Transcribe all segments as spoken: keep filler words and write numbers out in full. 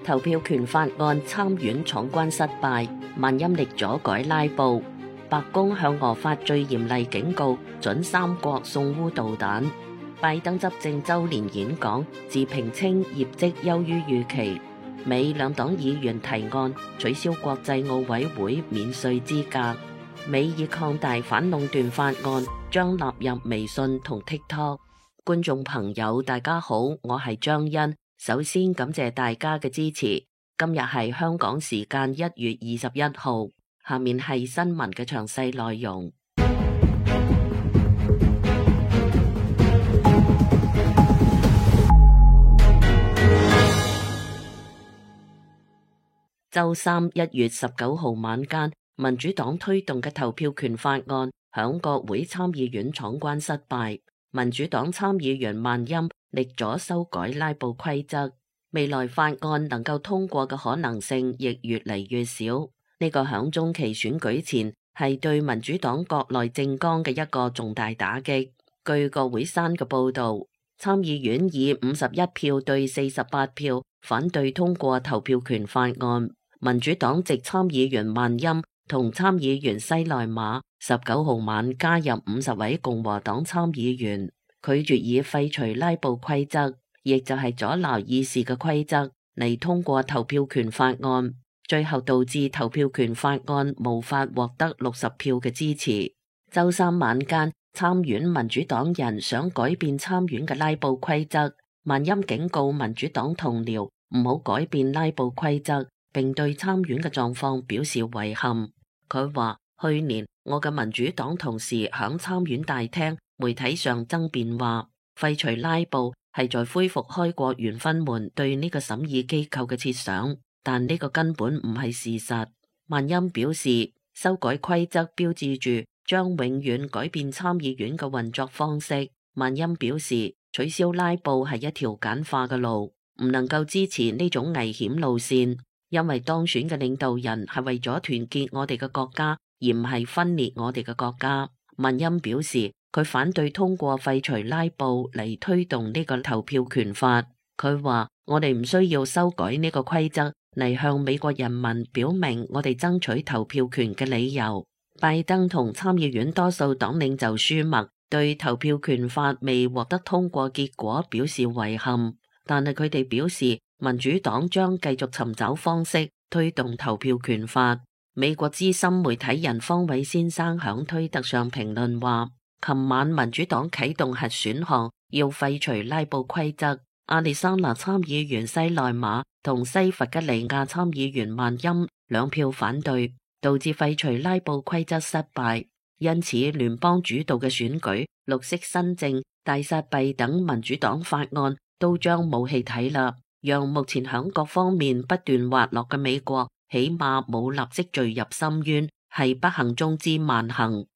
投票權法案參院闖關失敗，萬欽力阻改拉布。白宮向俄發最嚴厲警告，准三國送烏導彈。拜登執政週年演講，自評稱業績優於預期。美兩黨議員提案取消國際奧委會免稅資格。美已擴大反壟斷法案，將納入微信同 TikTok。觀眾朋友，大家好，我係張欣。首先感謝大家嘅支持。今日係香港時間一月二十一號，下面係新聞嘅詳細內容。周三一月十九號晚間，民主黨推動嘅投票權法案響國會參議院闖關失敗。民主黨參議員萬欽力阻修改拉布規則，未來法案能夠通過嘅可能性亦越嚟越少。呢個響中期選舉前係對民主黨國內政綱嘅一個重大打擊。據國會山嘅報道，參議院以五十一票對四十八票反對通過投票權法案。民主黨籍參議員萬欽同參議員西奈馬十九號晚加入五十位共和黨參議員，拒絕以廢除拉布規則，亦就係阻撓議事嘅規則嚟通過投票權法案，最後導致投票權法案無法獲得六十票嘅支持。周三晚間，參院民主黨人想改變參院嘅拉布規則，萬欽警告民主黨同僚唔好改變拉布規則，並對參院嘅狀況表示遺憾。佢話：去年我嘅民主黨同事響參院大廳媒體上爭辯話，廢除拉布係在恢復開國元勳們對呢個審議機構嘅設想，但呢個根本唔係事實。萬欽表示，修改規則標誌住將永遠改變參議院嘅運作方式。萬欽表示，取消拉布係一條簡化嘅路，唔能夠支持呢種危險路線。因為當選嘅領導人係為咗團結我哋嘅國家，而唔係分裂我哋嘅國家。萬欽表示，佢反對通過廢除拉布嚟推動呢個投票權法。佢話：我哋唔需要修改呢個規則嚟向美國人民表明我哋爭取投票權嘅理由。拜登同參議院多數黨領袖舒默對投票權法未獲得通過結果表示遺憾，但係佢哋表示，民主黨將繼續尋找方式推動投票權法。美國資深媒體人方偉先生響推特上評論話：琴晚民主黨啟動核選項，要廢除拉布規則。亞利桑那參議員西奈馬同西弗吉尼亞參議員萬欽兩票反對，導致廢除拉布規則失敗。因此，聯邦主導嘅選舉、綠色新政、大撒幣等民主黨法案都將冇戲睇啦。讓目前響各方面不斷滑落嘅美國，起碼冇立即墜入深淵，係不幸中之萬幸。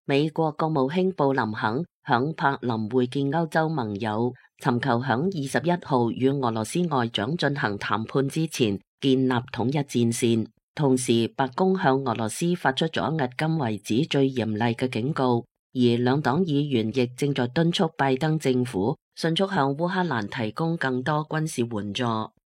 美國國務卿布林肯響柏林會見歐洲盟友，尋求響二十一號與俄羅斯外長進行談判之前建立統一戰線。同時，白宮向俄羅斯發出咗迄今為止最嚴厲嘅警告。而兩黨議員亦正在敦促拜登政府迅速向烏克蘭提供更多軍事援助。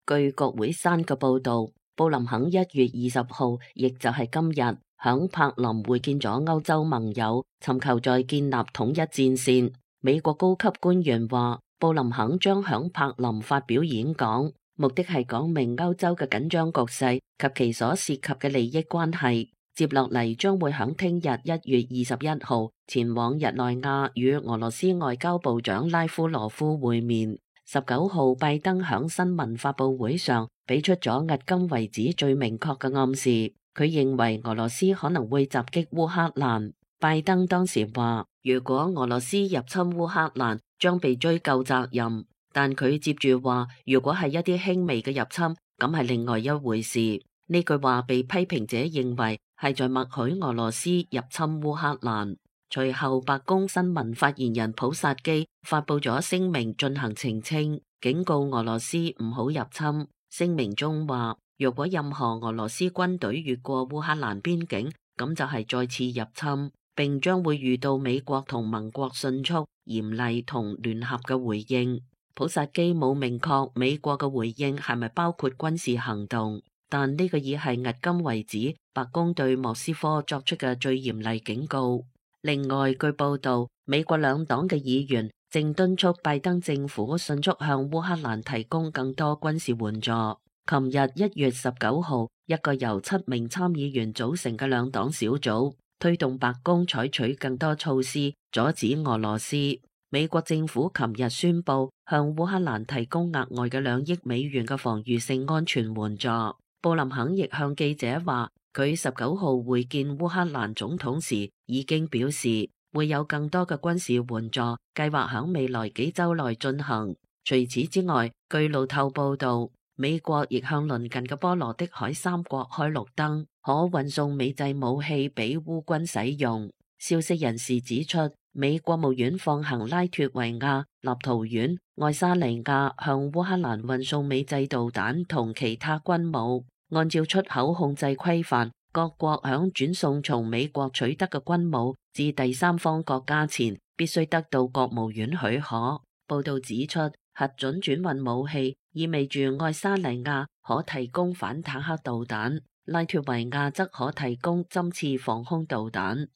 據國會山嘅報道，布林肯一月二十號，亦就係今日，響柏林會見咗歐洲盟友，尋求再建立統一戰線。美國高級官員話，布林肯將響柏林發表演講，目的係講明歐洲嘅緊張局勢及其所涉及嘅利益關係。接落嚟將會響聽日一月二十一號前往日內瓦與俄羅斯外交部長拉夫羅夫會面。十九號拜登響新聞發佈會上俾出咗迄今為止最明確嘅暗示，佢認為俄羅斯可能會襲擊烏克蘭。拜登當時話，如果俄羅斯入侵烏克蘭，將被追究責任。但佢接住話，如果係一啲輕微嘅入侵，咁係另外一回事。呢句話被批評者認為係在默許俄羅斯入侵烏克蘭。隨後，白宮新聞發言人普薩基發佈咗聲明進行澄清，警告俄羅斯唔好入侵。聲明中話，若果任何俄羅斯軍隊越過烏克蘭邊境，咁就係再次入侵，並將會遇到美國同盟國迅速、嚴厲同聯合嘅回應。普薩基冇明確美國嘅回應係咪包括軍事行動，但呢個已係迄今為止白宮對莫斯科作出嘅最嚴厲警告。另外，據報道，美國兩黨嘅議員正敦促拜登政府迅速向烏克蘭提供更多軍事援助。琴日一月十九號，一個由七名參議員組成嘅兩黨小組推動白宮採取更多措施阻止俄羅斯。美國政府琴日宣布向烏克蘭提供額外嘅兩億美元嘅防禦性安全援助。布林肯亦向記者話，佢十九號會見烏克蘭總統時已經表示會有更多嘅軍事援助計劃響未來幾週內進行。除此之外，據路透報道，美國亦向鄰近嘅波羅的海三國開綠燈，可運送美製武器俾烏軍使用。消息人士指出，美國務院放行拉脫維亞、立陶宛、愛沙尼亞向烏克蘭運送美製導彈同其他軍武。按照出口控制規範，各國響轉送從美國取得嘅軍武至第三方國家前，必須得到國務院許可。報道指出，核准轉運武器意味住愛沙尼亞可提供反坦克導彈，拉脫維亞則可提供針刺防空導彈。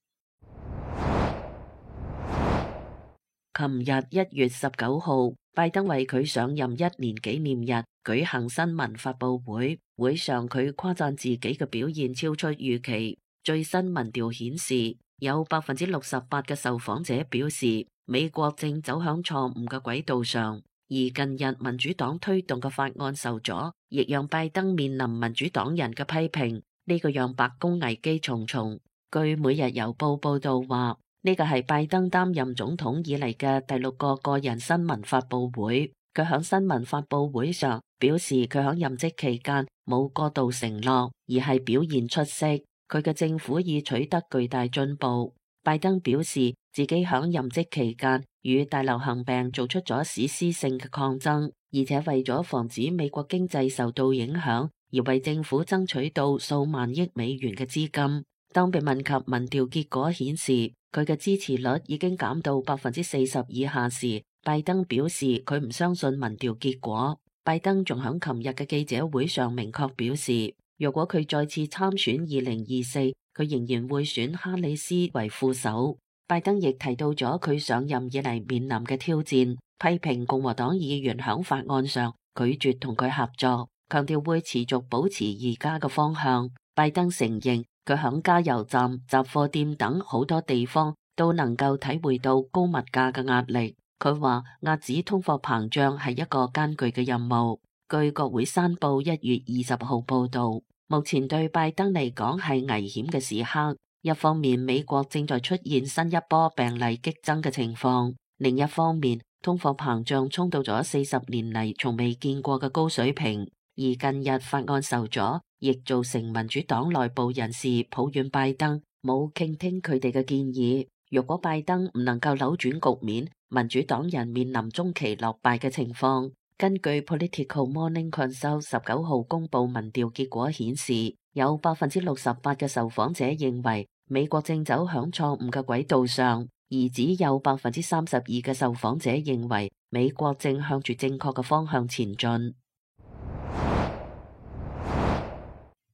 琴日一月十九號，拜登為佢上任一年紀念日舉行新聞發佈會，會上佢誇讚自己嘅表現超出預期。最新民調顯示，有百分之六十八嘅受訪者表示美國正走向錯誤嘅軌道上，而近日民主黨推動嘅法案受阻，亦讓拜登面臨民主黨人嘅批評，呢個讓白宮危機重重。據每日郵報報道話，呢個係拜登擔任總統以嚟嘅第六個個人新聞發佈會。佢響新聞發佈會上表示，佢響任職期間冇過度承諾，而係表現出色。佢嘅政府已取得巨大進步。拜登表示自己響任職期間與大流行病做出咗史詩性嘅抗爭，而且為咗防止美國經濟受到影響，而為政府爭取到數萬億美元嘅資金。當被問及民調結果顯示佢嘅支持率已經減到百分之四十以下時，拜登表示佢唔相信民調結果。拜登仲響琴日嘅記者會上明確表示，如果佢再次參選二零二四，佢仍然會選哈里斯為副手。拜登亦提到咗佢上任以嚟面臨嘅挑戰，批評共和黨議員響法案上拒絕同佢合作，強調會持續保持而家嘅方向。拜登承認佢響加油站、雜貨店等好多地方都能夠體會到高物價嘅壓力。佢話遏止通貨膨脹係一個艱巨嘅任務。據國會山報一月二十號報道，目前對拜登嚟講係危險嘅時刻。一方面，美國正在出現新一波病例激增嘅情況；另一方面，通貨膨脹衝到咗四十年嚟從未見過嘅高水平。而近日法案受阻，亦造成民主黨內部人士抱怨拜登冇傾聽佢哋嘅建議。如果拜登唔能夠扭轉局面，民主黨人面臨中期落敗嘅情況。根據 Political Morning Consult 十九號公布民調結果顯示，有百分之六十八嘅受訪者認為美國正走向錯誤嘅軌道上，而只有百分之三十二嘅受訪者認為美國正向住正確嘅方向前進。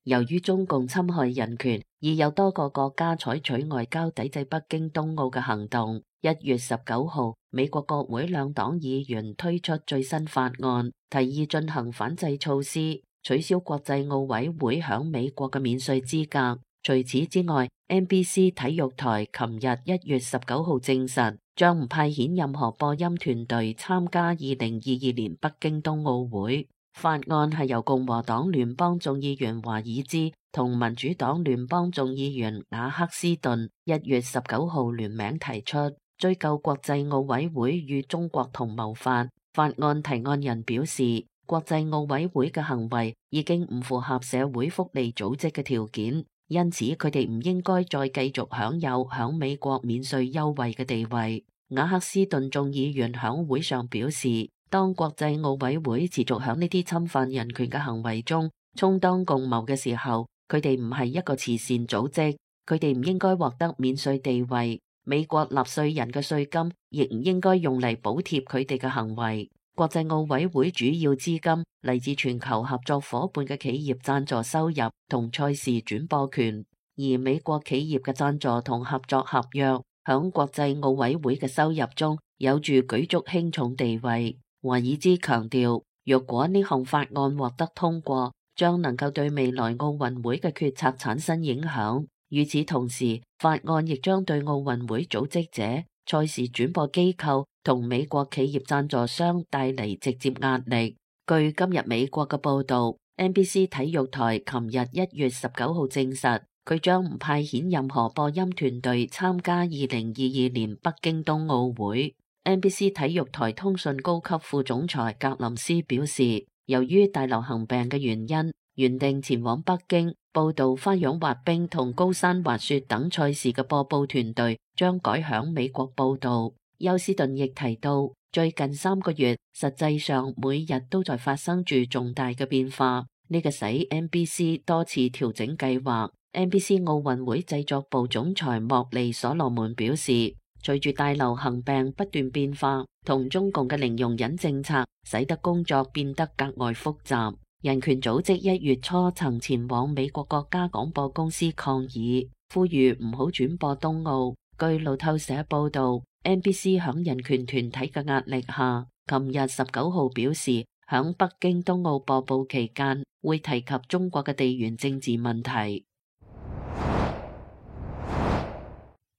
由於中共侵害人權，已有多個國家採取外交抵制北京冬奧嘅行動。一月十九號，美國國會兩黨議員推出最新法案，提議進行反制措施，取消國際奧委會響美國嘅免稅資格。除此之外 ，N B C 體育台琴日一月十九號證實，將唔派遣任何播音團隊參加二零二二年北京冬奧會。法案係由共和黨聯邦眾議員華爾茲同民主黨聯邦眾議員瓦克斯頓一月十九號聯名提出，追究國際奧委會與中國同謀法。法案提案人表示，國際奧委會嘅行為已經唔符合社會福利組織嘅條件，因此佢哋唔應該再繼續享有響美國免稅優惠嘅地位。瓦克斯頓眾議員響會上表示，當國際奧委會持續響呢啲侵犯人權嘅行為中充當共謀嘅時候，佢哋唔係一個慈善組織，佢哋唔應該獲得免稅地位。美國納稅人嘅稅金亦唔應該用嚟補貼佢哋嘅行為。國際奧委會主要資金嚟自全球合作夥伴嘅企業贊助收入同賽事轉播權，而美國企業嘅贊助同合作合約響國際奧委會嘅收入中有住舉足輕重地位。華爾茲強調，若果呢項法案獲得通過，將能夠對未來奧運會嘅決策產生影響。與此同時，法案亦將對奧運會組織者、賽事轉播機構同美國企業贊助商帶嚟直接壓力。據今日美國嘅報導， N B C 體育台琴日一月十九號證實，佢將唔派遣任何播音團隊參加二零二二年北京冬奧會。N B C 體育台通訊高級副總裁格林斯表示，由於大流行病嘅原因，原定前往北京報道花樣滑冰同高山滑雪等賽事嘅播報團隊將改響美國報道。休斯頓亦提到，最近三個月實際上每日都在發生住重大嘅變化，呢個使 N B C 多次調整計劃。N B C 奧運會製作部總裁莫利所羅門表示，隨住大流行病不斷變化，同中共嘅零容忍政策，使得工作變得格外複雜。人權組織一月初曾前往美國國家廣播公司抗議，呼籲唔好轉播冬奧。據路透社報道， N B C 響人權團體嘅壓力下，琴日十九號表示，響北京冬奧播報期間會提及中國嘅地緣政治問題。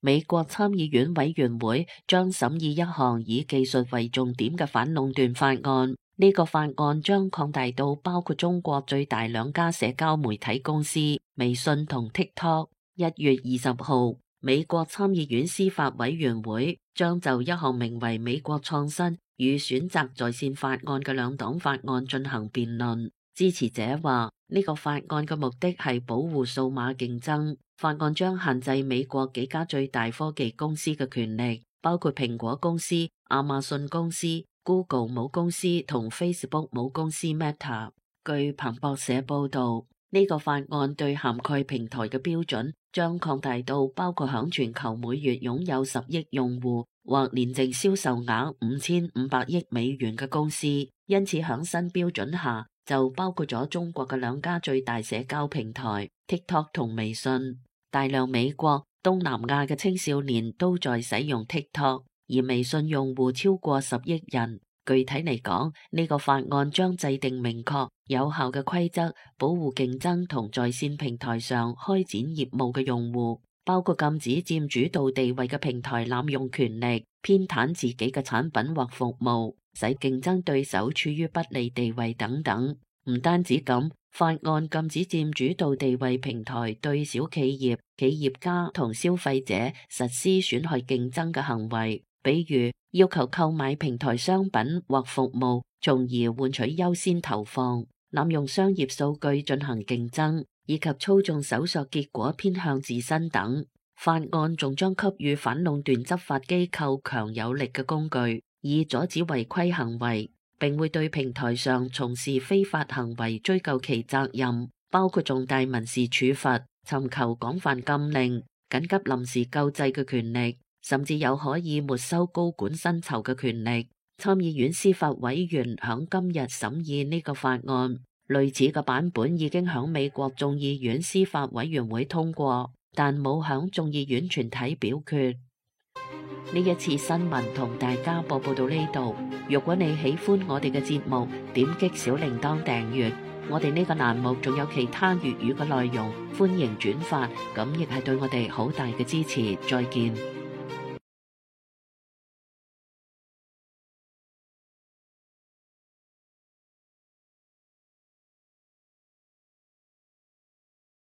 美國參議院委員會將審議一項以技術為重點嘅反壟斷法案，呢個法案將擴大到包括中國最大兩家社交媒體公司微信同 TikTok。一月二十號，美國參議院司法委員會將就一項名為《美國創新與選擇在線法案》嘅兩黨法案進行辯論。支持者話，呢個法案嘅目的係保護數碼競爭。法案將限制美國幾家最大科技公司嘅權力，包括蘋果公司、亞馬遜公司、Google 母公司同 Facebook 母公司 Meta。據彭博社報道，呢個法案對涵蓋平台嘅標準將擴大到包括響全球每月擁有十億用戶或年淨銷售額五千五百億美元嘅公司。因此響新標準下，就包括咗中國嘅兩家最大社交平台 TikTok 同微信。大量美國、東南亞嘅青少年都在使用 TikTok， 而微信用戶超過十億人。具體嚟講，呢個法案將制定明確有效嘅規則，保護競爭同在線平台上開展業務嘅用戶，包括禁止佔主導地位嘅平台濫用權力，偏袒自己嘅產品或服務，使競爭對手處於不利地位等等。唔單止咁，法案禁止佔主導地位平台對小企業、企業家同消費者實施損害競爭嘅行為，比如要求購買平台商品或服務，從而換取優先投放，濫用商業數據進行競爭，以及操縱搜索結果偏向自身等。法案仲將給予反壟斷執法機構強有力嘅工具，以阻止違規行為，並會對平台上從事非法行為追究其責任，包括重大民事處罰、尋求廣泛禁令、緊急臨時救濟嘅權力，甚至有可以沒收高管薪酬嘅權力。參議院司法委員響今日審議呢個法案，類似嘅版本已經響美國眾議院司法委員會通過，但冇響眾議院全體表決。呢一次新聞同大家播報到呢度。如果你喜歡我哋嘅節目，點擊小鈴鐺訂閱。我哋呢個欄目仲有其他粵語嘅內容，歡迎轉發，咁亦係對我哋好大嘅支持。再見。